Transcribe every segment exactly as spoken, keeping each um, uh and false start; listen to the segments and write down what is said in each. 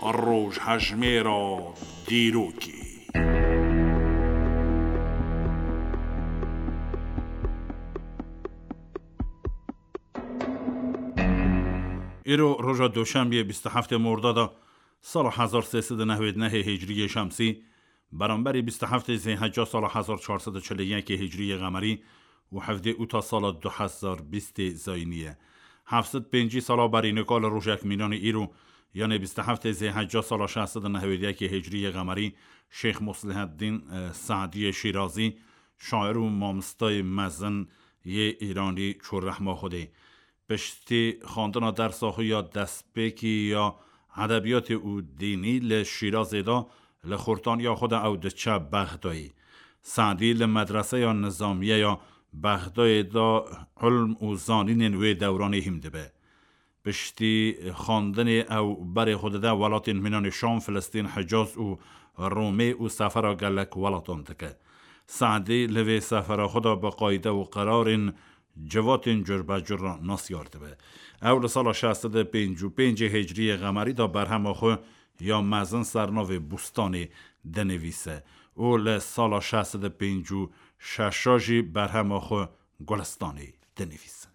Rojhejmêra dîrokê. Îro roja Doşembiyê bîst û heftê Mordada sala hezar sê sed û newêd nehê Hicriyê Şemsî, beramberî bîst û heftê Zêhecca sala hezar çar sed û çil û yekê Hicriyê Qemerî û hevdê Ûta sala du hezar bîstê Zayînî ye. Heft sed pêncî sala berî nika li rojek mînanê îro, yanê bîst û heftê Zêhecca sala şeş sed û newêd yekê Hicriyê Qemerî, Şêx Musliheddîn, e, Se'diyê Şîrazî, şair û mamostayê mezin yê Îranî çû rehma Xwedê. Piştî xwendina dersa xwe ya destpêkî ya edebiyatê û dînî li Şîrazê de, li xortaniya xwe de ew diçe Bexdayê. Se'dî li medreseya nizamiye ya Bexdayê de ilm û zanînên wê dewranê hîm dibe. Piştî xwendinê ew berê xwe dide welatên mînanê Şam, Filistîn, Hicaz û Romê û sefera gelek welatan dike. Se'dî li vê sefera xwe de bi qayde û qerarên civatên curbecur re nasyar dibe. Ew li sala şeş sed û pêncî û pêncê Hicriyê Qemerî de berhema xwe ya mezin ser navê Bûstanê dinivîse û li sala şeş sed û pêncî û şeş jî berhema xwe Gulistanê dinivîse.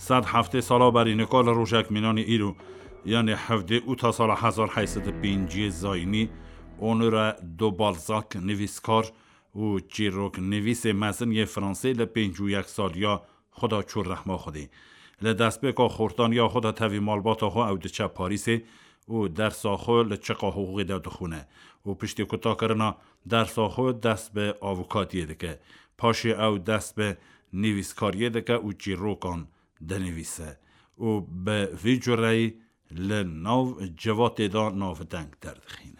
Sed heftê sala berî nika li rojek mînanî îro, yanê hevdê Ûta sala hezar heyt sed û pêncî Zayînî, Honoré de Balzac, nivîskar û çîroknivîsê mezin yê Fransê, li pêncî û yek saliya xwe de çû rehma Xwedê. Li destpêka xortaniya xwe de tevî malbata xwe ew diçe Parîsê û dersa xwe li çiqa hiqûqê de dixwîne û piştî kutakirina dersa xwe dest bi avûkatiyê dike. Paşê ew dest bi nivîskariyê dike û çîrokan dinivîse û bi vî cureyî li nav civatê de navdeng derdixîne.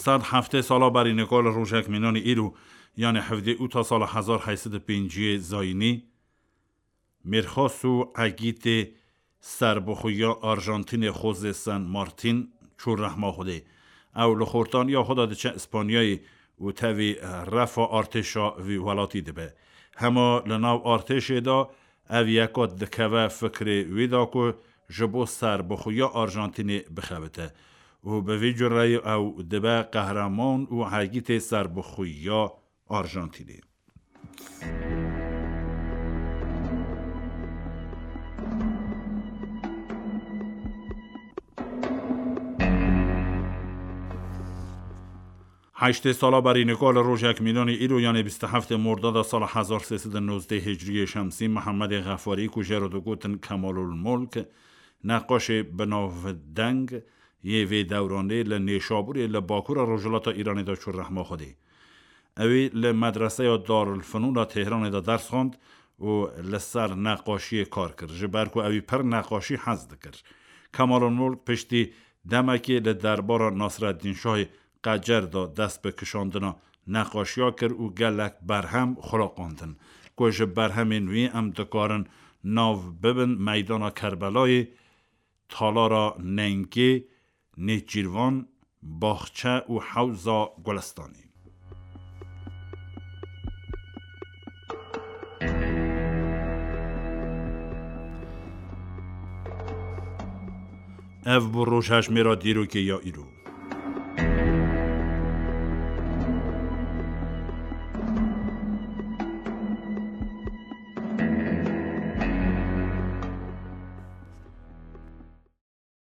Sed heftê sala berî nika li rojek mînanî îro, yanê hevdê Ûta sala hezar heyt sed û pêncî Zayînî, mêrxas û egîtê serbixweya Arjantînê José San Martín çû rehma Xwedê. Ew li xortaniya xwe de diçe Îspanyayê û tevî refa artêşa vî welatî dibe. Hema li nav artêşê de ev yeka dikeve fikrê wî de ku ji bo serbixweya Arjantînê bixebite û bi vî cureyî ew dibe qehreman û egîtê serbixweya Arjantînê. Heştê sala berî nika li rojek mînanî îro, yanê bîst û heftê Mordada sala hezar sê sed û nozdeh Hicriyê Şemsî, Mihemedê Xefarî ku jê re digotin Kemalul Mulk, neqaşê binavdeng yê vê dewranê li Nêşabûrê li bakura rojhilata Îranê de çû rehma Xwedê. Ewî li medreseya Darulfenûna Tehranê de ders xwend û li ser neqaşiyê kar kir, ji ber ku ewî pir neqaşî hez dikir. Kemalulmulk piştî demekê li derbara Nasreddîn Şahê Qecer de dest bi kişandina neqaşiya kir û gelek berhem xulaqandin, ku ji berhemên wî em dikarin nav bibin Meydana Kerbelayê, Talara Nengê, Nêçîrvan, Baxçe û Hewza Gulistanê. Ev bû rojhejmêra dîrokê ya îro.